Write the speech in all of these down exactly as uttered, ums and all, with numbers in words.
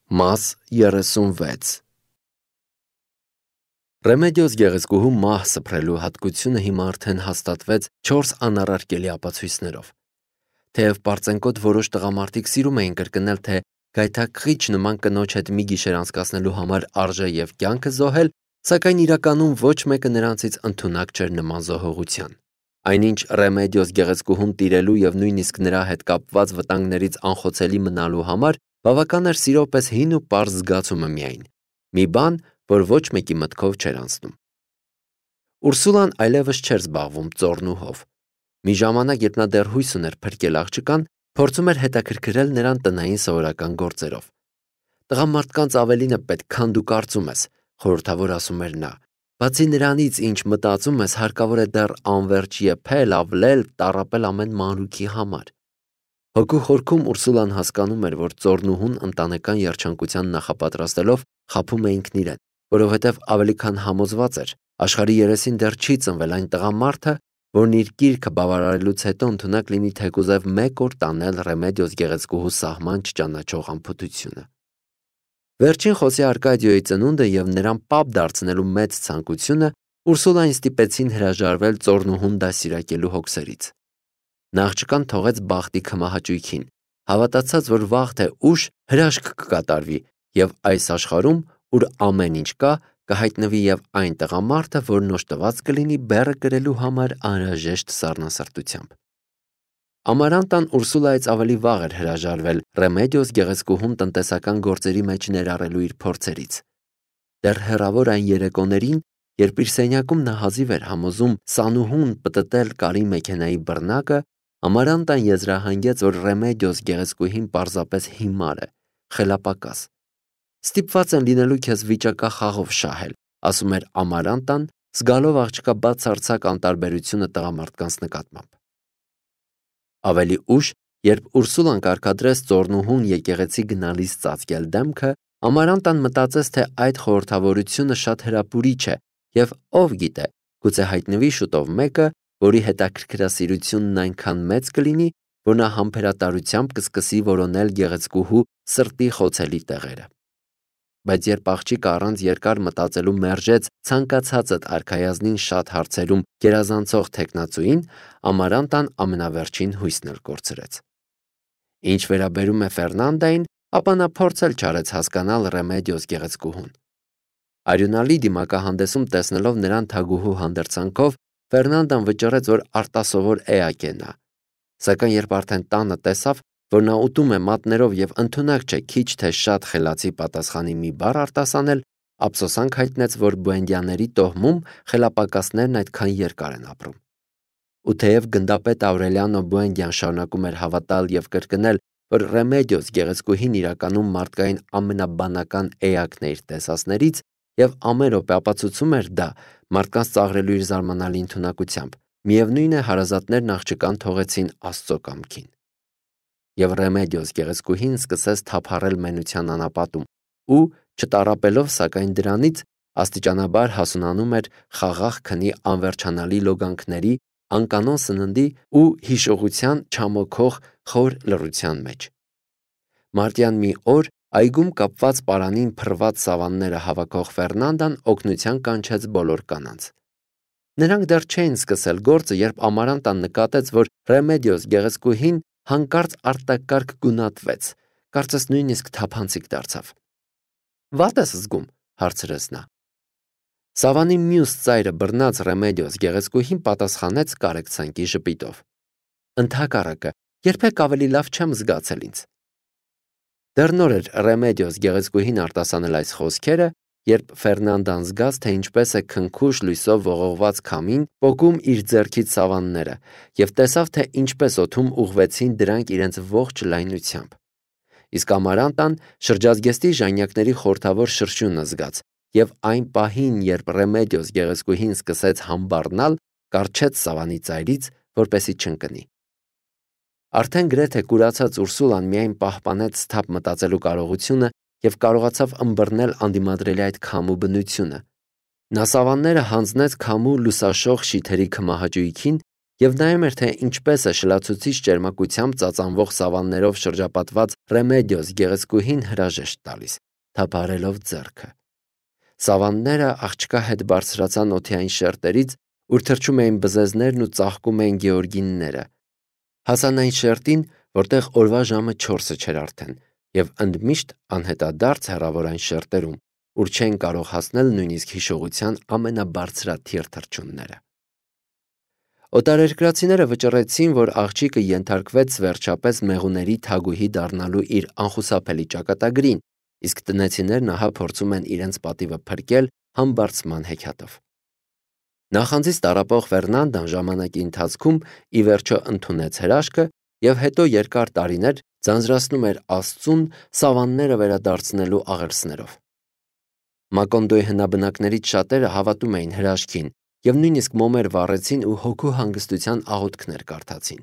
Մաս երեսունվեց Ռեմեդիոս գեղեցկուհու մահ սփռելու հատկությունը հիմա արդեն հաստատվեց չորս անառարկելի ապացույցներով։ Թեև պարծենկոտ որոշ տղամարդիկ սիրում էին կրկնել, թե գայթակղիչ նման կնոջ հետ մի գիշեր անցկացնելու համար արժե և կյանքը զոհել, սակայն իրականում ոչ մեկը նրանցից ընդունակ չէր նման զոհողության։ Այնինչ Ռեմեդիոս գեղեցկուհուն տիրելու և նույնիսկ նրա հետ կապված վտանգներից անխոցելի մնալու համար բավական էր սիրո պես հին ու պարզ զգացումը միայն, մի բան, որ ոչ մեկի մտքով չէր անցնում։ Ուրսուլան այլևս չէր զբաղվում ծոռնուհով։ Մի ժամանակ, երբ նա դեռ հույս ուներ փրկել աղջկան, փորձում էր հետաքրքրել նրան տնային սովորական գործերով։ Տղամարդկանց ավելին է պետք, քան դու կարծում ես, խորհրդավոր ասում էր նա։ Բացի նրանից, ինչ մտածում ես, հարկավոր է դեռ անվերջ եփել, ավլել, տառապել ամեն մանրուքի համար։ Հոգու խորքում Ուրսուլան հասկանում էր, որ ծոռնուհուն ընտանեկան երջանկության նախապատրաստելով խաբում է ինքն իրեն, որովհետև ավելի քան համոզված էր, աշխարհի երեսին դեռ չի ծնվել այն տղամարդը, որն իր կիրքը բավարարելուց հետո ընդունակ լինի թեկուզև մեկ օր տանել Ռեմեդիոս գեղեցկուհու սահման չճանաչող անփութությունը։ Վերջին խոսի Արկադիոյի ծնունդը և նրան պապ դարձնելու մեծ ցանկությունը Ուրսուլային ստիպեցին հրաժարվել ծոռնուհուն դաստիարակելու հոգսերից։ Նա աղջկան թողեց բախտի քմահաճույքին, հավատացած, որ վաղ թե ուշ հրաշք կկատարվի և այս աշխարհում, ուր ամեն ինչ կա, կհայտնվի և այն տղամարդը, որն օժտված կլինի բեռը կրելու համար անհրաժեշտ սառնասրտությամբ։ Ամարանտան Ուրսուլայից ավելի վաղ էր հրաժարվել Ռեմեդիոս գեղեցկուհուն տնտեսական գործերի մեջ ներառելու իր փորձերից։ Դեռ հեռավոր այն երեկոներին, երբ իր սենյակում նա հազիվ էր համոզում սանուհուն պտտել կարի մեքենայի բռնակը, Ամարանտան եզրահանգեց, որ Ռեմեդիոս գեղեցկուհին պարզապես հիմար է, խելապակաս։ Ստիպված են լինելու քեզ վիճակախաղով շահել, ասում էր Ամարանտան, զգալով աղջկա բացարձակ անտարբերությունը տղամարդկանց նկատմամբ։ Ավելի ուշ, երբ Ուրսուլան կարգադրեց ծոռնուհուն եկեղեցի գնալիս ծածկել դեմքը, Ամարանտան մտածեց, թե այդ խորհրդավորությունը շատ հրապուրիչ է և ով գիտե, գուցե հայտնվի շուտով մեկը, որի հետաքրքրասիրությունն այնքան մեծ կլինի, որ նա համբերատարությամբ կսկսի որոնել գեղեցկուհու սրտի խոցելի տեղերը։ Բայց երբ աղջիկը առանց երկար մտածելու մերժեց ցանկացածդ արքայազնին շատ հարցերում գերազանցող թեկնածուին, Ամարանտան ամենավերջին հույսն էլ կորցրեց։ Ինչ վերաբերում է Ֆերնանդային, ապա նա փորձել չարեց հասկանալ Ռեմեդիոս գեղեցկուհուն։ Արյունալի դիմակահանդեսում տեսնելով նրան թագուհու հանդերձանքով, Ֆերնանդան վճռեց, որ արտասովոր էակ է նա։ Սակայն երբ արդեն տանը տեսավ, որ նա ուտում է մատներով և ընդունակ չէ քիչ թե շատ խելացի պատասխանի մի բառ արտասանել, ափսոսանք հայտնեց, որ Բուենդիաների տոհմում խելապակասներն այդքան երկար են ապրում։ Ու թեև գնդապետ Աուրելիանո Բուենդիան շարունակում էր հավատալ և կրկնել, որ Ռեմեդիոս գեղեցկուհին իրականում մարդկային ամենաբանական էակն է իր տեսածներից և ամեն րոպե ապացուցում էր դա մարդկանց ծաղրելու իր զարմանալի ընդունակությամբ, միևնույն է հարազատներն աղջկան թողեցին Աստծո կամքին։ Եվ Ռեմեդիոս գեղեցկուհին սկսեց թափառել մենության անապատում ու, չտառապելով սակայն դրանից, աստիճանաբար հասունանում էր խաղաղ քնի անվերջանալի լոգանքների, անկանոն սննդի ու հիշողության չամոքող խոր լռության մեջ։ Մարտյան մի օր այգում կապված պարանին փռված սավանները հավաքող Ֆերնանդան օգնության կանչեց բոլոր կանանց։ Նրանք դեռ չէին սկսել գործը, երբ Ամարանտան նկատեց, որ Ռեմեդիոս գեղեցկուհին հանկարծ արտակարգ գունատվեց, կարծես նույնիսկ թափանցիկ դարձավ։ Վատ ես զգում, հարցրեց նա։ Սավանի մյուս ծայրը բռնած Ռեմեդիոս գեղեցկուհին պատասխանեց կարեկցանքի ժպիտով։ Ընդհակառակը, երբեք ավելի լավ չեմ զգացել ինձ։ Դեռ նոր էր Ռեմեդիոս գեղեցկուհին արտասանել այս խոսքերը, երբ Ֆերնանդան զգաց, թե ինչպես է քնքուշ լույսով ողողված քամին պոկում իր ձեռքից սավանները և տեսավ, թե ինչպես օդում ուղղվեցին դրանք իրենց ողջ լայնությամբ։ Իսկ Ամարանտան շրջազգեստի ժանյակների խորհրդավոր շրշյունը զգաց և այն պահին, երբ Ռեմեդիոս գեղեցկուհին սկսեց համբառնալ, կառչեց սավանի ծայրից, որպեսզի չընկնի։ Արդեն գրեթե կուրացած Ուրսուլան միայն պահպանեց սթափ մտածելու կարողությունը և կարողացավ ըմբռնել անդիմադրելի այդ քամու բնությունը։ Նա սավանները հանձնեց քամու լուսաշող շիթերի քմահաճույքին եւ նայում էր, թե ինչպես է շլացուցիչ ճերմակությամբ ծածանվող սավաններով շրջապատված Ռեմեդիոս գեղեցկուհին հրաժեշտ տալիս, թափարելով ձեռքը։ Սավանները աղջկա հետ բարձրացան օթեային շերտերից, ուր թռչում էին բզեզներն ու ծաղկում էին գեորգինները։ Հասան այն շերտին, որտեղ օրվա ժամը չորսը չէր արդեն, եւ ընդմիշտ անհետադարձ հեռավոր այն շերտերում, ուր չեն կարող հասնել նույնիսկ հիշողության ամենաբարձրաթիռ թռչունները։ Օտարերկրացիները վճռեցին, որ աղջիկը ենթարկվեց վերջապես մեղուների թագուհի դառնալու իր անխուսափելի ճակատագրին, իսկ տնեցիներն ահա փորձում են իրենց պատիվը փրկել համբարձման հեքիաթով։ Նախանձից տառապող Ֆերնանդան ժամանակի ընթացքում ի վերջո ընդունեց հրաշքը եւ հետո երկար տարիներ ձանձրացնում էր Աստծուն սավանները վերադարձնելու աղերսներով։ Մակոնդոյի հնաբնակներից շատերը հավատում էին հրաշքին եւ նույնիսկ մոմեր վառեցին ու հոգու հանգստության աղոթքներ կարդացին։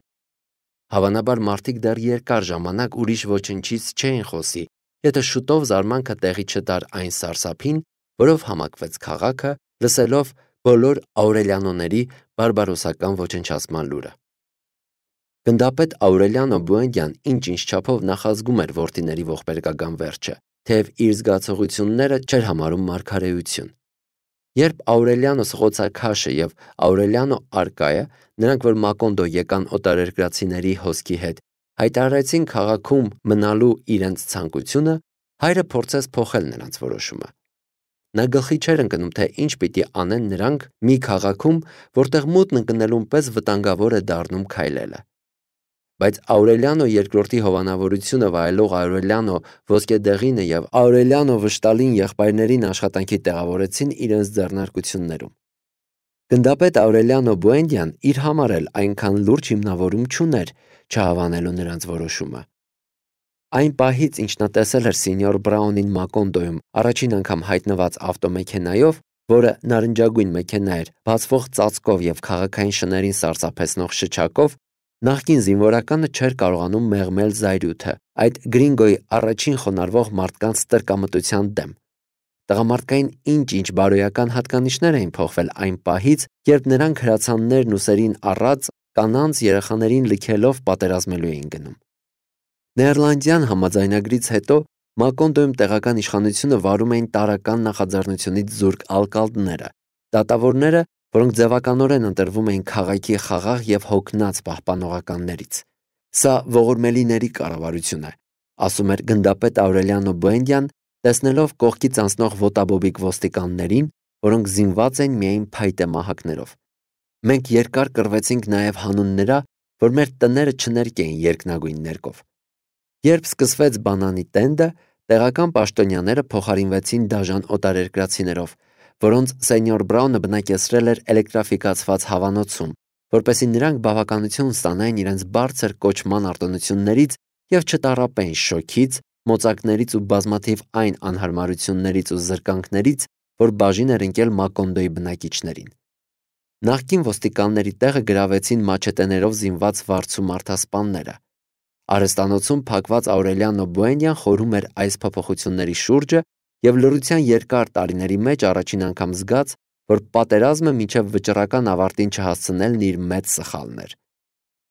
Հավանաբար մարդիկ դեռ երկար ժամանակ ուրիշ ոչնչից չէին խոսի, եթե շուտով զարմանքը տեղի չտար այն սարսափին, որով համակվեց քաղաքը, լսելով բոլոր Աուրելիանոների բարբարոսական ոչնչացման լուրը։ Գնդապետ Աուրելիանո Բուենդյան ինչ-ինչ չափով նախազգում էր որդիների ողբերգական վերջը, թեև իր զգացողությունները չէր համարում մարգարեություն։ Երբ Աուրելիանո սղոցաքաշը եւ Աուրելիանո Արկայը, նրանք որ Մակոնդո եկան օտարերկրացիների հոսքի հետ, հայտարարեցին քաղաքում մնալու իրենց ցանկությունը, հայրը փորձեց փոխել նրանց որոշումը։ Նա գլխի չէր ընկնում, թե ինչ պիտի անեն նրանք մի քաղաքում, որտեղ մութն ընկնելուն պես վտանգավոր է դառնում քայլելը։ Բայց Աուրելիանո երկրորդի հովանավորությունը վայելող Աուրելիանո Ոսկեդեղինը եւ Աուրելիանո Վշտալին եղբայրներին աշխատանքի տեղավորեցին իրենց ձեռնարկություններում։ Գնդապետ Աուրելիանո Բուենդյան իր համար էլ այնքան լուրջ հիմնավորում չուներ, չհավանելու նրանց որոշումը։ Այն պահից, ինչ նա տեսել էր սենյոր Բրաունին Մակոնդոյում առաջին անգամ հայտնված ավտոմեքենայով, որը նարնջագույն մեքենա էր, բացվող ծածկով եւ քաղաքային շներին սարսափեցնող շչակով, նախկին զինվորականը չէր կարողանում մեղմել զայրույթը, այդ գրինգոյի առաջին խոնարհվող մարդկանց տրկամտության դեմ։ Տղամարդկային ինչ-ինչ բարոյական հատկանիշներ էին փոխվել այն պահից, երբ նրանք հրացաններն ուսերին առած կանանց երեխաներին լքելով պատերազմելու էին գնում։ Նեերլանդյան համաձայնագրից հետո Մակոնդոյում տեղական իշխանությունը վարում էին տարրական նախաձեռնությունից զուրկ ալկալդները, դատավորները, որոնք ձևականորեն ընտրվում էին քաղաքի խաղաղ եւ հոգնած պահպանողականներից։ Սա ողորմելիների կառավարություն է, ասում էր գնդապետ Աուրելիանո Բուենդյան, տեսնելով կողքից անցնող ոտաբոբիկ ոստիկաններին, որոնք զինված են միայն փայտե մահակներով։ Մենք երկար կռվեցինք նաեւ հանուն նրա, որ մեր տները չներկեին երկնագույն ներկով։ Երբ սկսվեց բանանի տենդը, տեղական պաշտոնյաները փոխարինվեցին դաժան օտարերկրացիներով, որոնց սենյոր Բրաունը բնակեցրել էր էլեկտրաֆիկացված հավանոցում, որպեսզի նրանք բավականություն ստանային իրենց բարձր կոչման արտոնություններից եւ չտառապեին շոքից, մոծակներից ու բազմաթիվ այն անհարմարություններից ու զրկանքներից, որ բաժին էր ընկել Մակոնդոյի բնակիչներին։ Նախկին ոստիկանների տեղը գրավեցին մաչետեներով զինված վարձու մարդասպանները։ Արհեստանոցում փակված Աուրելիանո Բուենդյան խորհում էր այս փոփոխությունների շուրջը եւ լռության երկար տարիների մեջ առաջին անգամ զգաց, որ պատերազմը մինչև վճռական ավարտին չհասցնելն իր մեծ սխալն էր։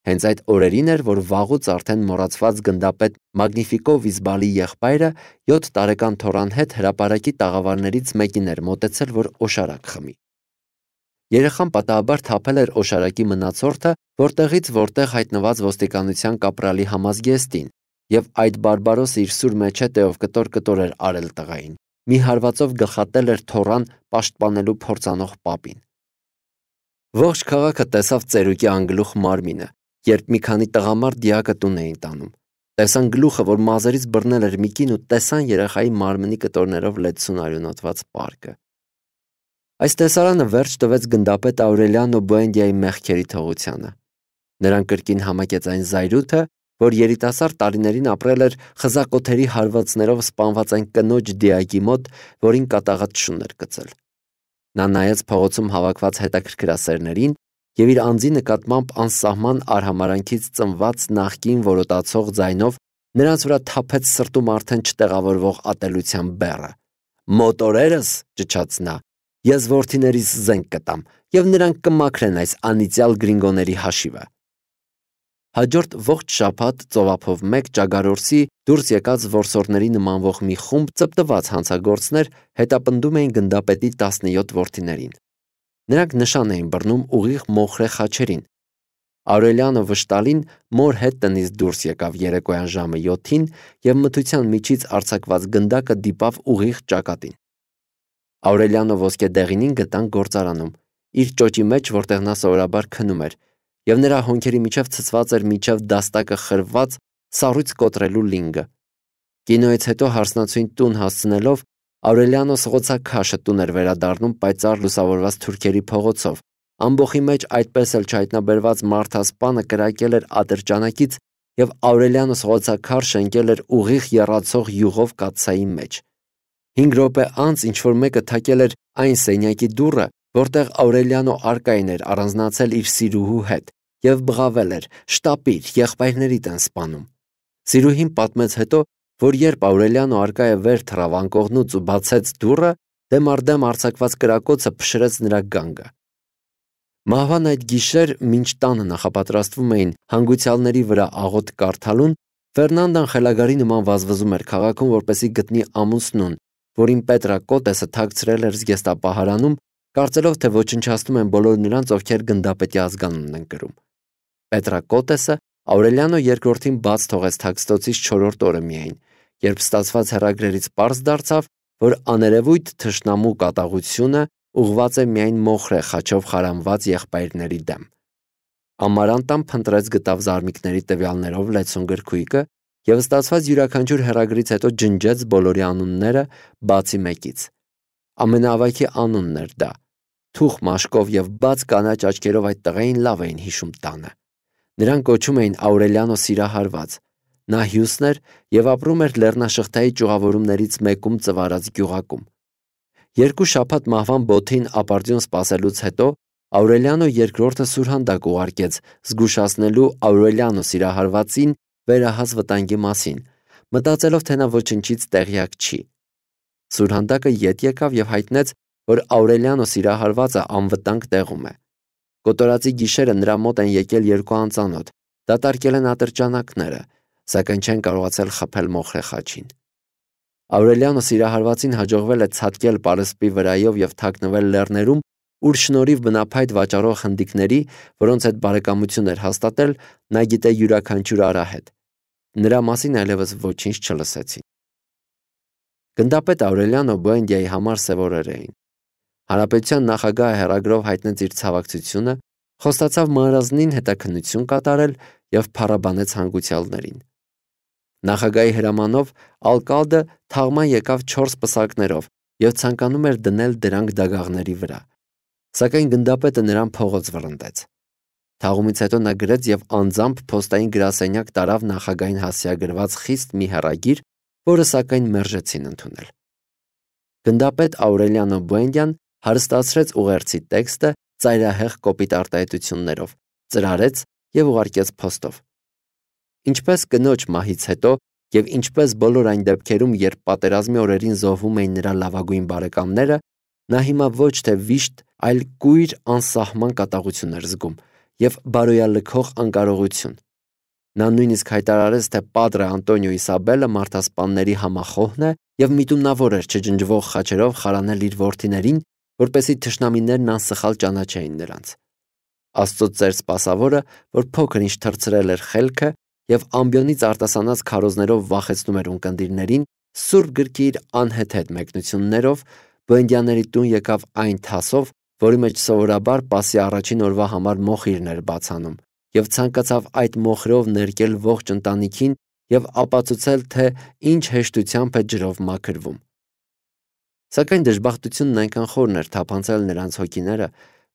Հենց այդ օրերին էր, որ վաղուց արդեն մոռացված գնդապետ Մագնիֆիկո Վիզբալի եղբայրը յոթ տարեկան թոռան հետ հրապարակի տաղավարներից մեկին էր մոտեցել, որ օշարակ խմի։ Երեխան պատահաբար թափել էր օշարակի մնացորդը, որտեղից որտեղ հայտնված ոստիկանության կապրալի համազգեստին, եւ այդ բարբարոսը իր սուր մեջետեով կտոր-կտոր էր արել տղային։ Մի հարվածով գլխատել էր թոռան պաշտպանելու փորձանող պապին։ Ողջ քաղաքը տեսավ ծերուկի անգլուխ մարմինը, երբ մի քանի տղամարդ դիակը տուն էին տանում։ Տեսան գլուխը, որ մազերից բռնել էր մի կին ու տեսան երեխայի մարմնի կտորներով լեցուն արյունոտված պարկը։ Այս տեսարանը վերջ տվեց գնդապետ Աուրելիանո Բուենդիայի մեղքերի թողությանը։ Նրան կրկին համակեց այն զայրույթը, որ երիտասարդ տարիներին ապրել էր խզակոթերի հարվածներով սպանված այն կնոջ դիակի մոտ, որին կատաղած շուն էր գցել։ Նա նայեց փողոցում հավաքված հետաքրքրասերներին եւ իր անձի նկատմամբ անսահման արհամարանքից ծնված նախկին որոտացող ձայնով նրանց վրա թափեց սրտում արդեն չտեղավորվող ատելության բեռը։ «Մոտորերս», ճչաց նա, ես որդիներիս զենք կտամ, եւ նրանք կմաքրեն այս անիծյալ գրինգոների հաշիվը։ Հաջորդ ողջ շաբաթ ծովափով մեկ ճագարորսի դուրս եկած որսորդների նմանվող մի խումբ ծպտված հանցագործներ հետապնդում էին գնդապետի տասնյոթ որդիներին։ Նրանք նշան էին բռնում ուղիղ մոխրե խաչերին։ Աուրելիանո վշտալին մոր հետ տնից դուրս եկավ երեկոյան ժամը յոթին եւ մթության միջից արձակված գնդակը դիպավ ուղիղ ճակատին։ Աուրելիանո ոսկե դեղինին գտան գործարանում, իր ճոճի մեջ, որտեղ նա սովորաբար քնում էր, եւ նրա հոնքերի միջև ցցված էր միջև դաստակը խրված սառույց կոտրելու լինգը։ Կինոյից հետո հարսնացուին տուն հասցնելով Աուրելիանո սղոցաքաշը տուն էր վերադառնում պայծառ լուսավորված թուրքերի փողոցով։ Ամբոխի մեջ այդպես էլ չհայտնաբերված մարդասպանը կրակել էր ատրճանակից եւ Աուրելիանո սղոցաքարշը ընկել էր ուղիղ եռացող յուղով կաթսայի մեջ։ Հինգ րոպե անց ինչ-որ մեկը թակել էր այն սենյակի դուռը, որտեղ Աուրելիանո Արկային էր առանձնացել իր սիրուհու հետ եւ բղավել էր. «Շտապիր, եղբայրներիդ են սպանում»։ Սիրուհին պատմեց հետո, որ երբ Աուրելիանո Արկայը վեր թռավ անկողնուց ու բացեց դուռը, դեմ առ դեմ արձակված կրակոցը փշրեց նրա գանգը։ Մահվան այդ գիշեր, մինչ տանը նախապատրաստվում էին հանգուցյալների վրա աղոթք կարդալուն, Ֆերնանդան խելագարի նման վազվզում էր քաղաքում, որպեսզի գտնի ամուսնուն, որին Պետրա Կոտեսը թաքցրել էր զգեստապահարանում, կարծելով, թե ոչնչացնում են բոլոր նրանց, ովքեր գնդապետի ազգանունն են կրում։ Պետրա Կոտեսը Աուրելիանո երկրորդին բաց թողեց թաքստոցից չորրորդ օրը միայն, երբ ստացված հեռագրերից պարզ դարձավ, որ աներևույթ թշնամու կատաղությունը ուղղված է միայն մոխրե խաչով խարանված եղբայրների դեմ։ Ամարանտան փնտրեց գտավ զարմիկների տվյալներով լեցուն գրքույկը եւ ստացված յուրաքանչյուր հեռագրից հետո ջնջեց բոլորի անունները բացի մեկից։ Ամենաավայքի անունն էր դա։ Թուխ մաշկով եւ բաց կանաչ աչքերով այդ տղային լավ էին հիշում տանը։ Նրան կոչում էին Աուրելիանո Սիրահարված։ Նա հյուսն էր եւ ապրում էր Լեռնաշղթայի ճյուղավորումներից մեկում ծվարած գյուղակում։ Երկու շաբաթ մահվան բոթին ապարդյուն սպասելուց հետո Աուրելիանո երկրորդը սուրհանդակ ուղարկեց զգուշացնելու Աուրելիանո Սիրահարվածին վերահաս վտանգի մասին, մտածելով, թե նա ոչնչից տեղյակ չի։ Սուրհանդակը ետ եկավ եւ հայտնեց, որ Աուրելիանո Սիրահարվածը անվտանգ տեղում է։ Կոտորածի գիշերը նրա մոտ են եկել երկու անծանոթ, դատարկել են ատրճանակները, սակայն չեն կարողացել խփել մոխրե խաչին։ Աուրելիանո Սիրահարվածին հաջողվել է ցատկել պարսպի վրայով եւ թաքնվել լեռներում, ուր շնորհիվ բնափայտ վաճառող հնդիկների, որոնց հետ բարեկամություն էր հաստատել, նա գիտե յուրաքանչյուր արահետ։ Նրա մասին այլևս ոչինչ չլսեցին։ Գնդապետ Աուրելիանո Բուենդիայի համար սև օրեր էին։ Հանրապետության նախագահը հեռագրով հայտնեց իր ցավակցությունը, խոստացավ մանրազնին հետաքննություն կատարել եւ փառաբանեց հանգուցյալներին։ Նախագահի հրամանով ալկալդը թաղման եկավ չորս պսակներով եւ ցանկանում էր դնել դրանք դագաղների վրա, սակայն գնդապետը նրան փողոց վռնդեց։ Թաղումից հետո նա գրեց եւ անձամբ փոստային գրասենյակ տարավ նախագահին հասցեագրված խիստ մի հեռագիր, որը սակայն մերժեցին ընդունել։ Գնդապետ Աուրելիանո Բուենդյան հարստացրեց ուղերձի տեքստը ծայրահեղ կոպիտ արտահայտություններով, ծրարեց եւ ուղարկեց փոստով։ Ինչպես կնոջ մահից հետո եւ ինչպես բոլոր այն դեպքերում, երբ պատերազմի օրերին զոհվում էին նրա լավագույն բարեկամները, նա հիմա ոչ թե վիշտ, այլ կույր անսահման կատաղություն էր զգում եւ բարոյալքող անկարողություն։ Նա նույնիսկ հայտարարեց, թե Պատրե Անտոնիո Իսաբելը մարդասպանների համախոհն է եւ միտումնավոր էր չջնջվող խաչերով խարանել իր որդիներին, որպեսզի թշնամիներն անսխալ ճանաչեին նրանց։ Աստծո ծեր սպասավորը, որ փոքր ինչ թրծրել էր խելքը եւ ամբիոնից արտասանած քարոզներով վախեցնում էր ունկնդիրներին, սուրբ գրքի իր անհեթեթ մեկնություններով Բուենդյանների տուն եկավ այն թասով, որի մեջ սովորաբար Պասի առաջին օրվա համար մոխիրն էր բացանում, եւ ցանկացավ այդ մոխրով ներկել ողջ ընտանիքին եւ ապացուցել, թե ինչ հեշտությամբ է ջրով մաքրվում։ Սակայն դժբախտությունն այնքան խորն էր թափանցել նրանց հոգիները,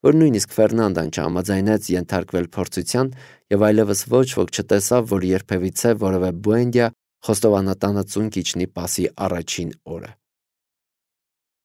որ նույնիսկ Ֆերնանդան չհամաձայնեց ենթարկվել փորձության եւ այլևս ոչ ոք չտեսավ, որ երբևիցե որևէ Բուենդիա խոստովանատանը ծունկ իջնի Պասի առաջին օրը։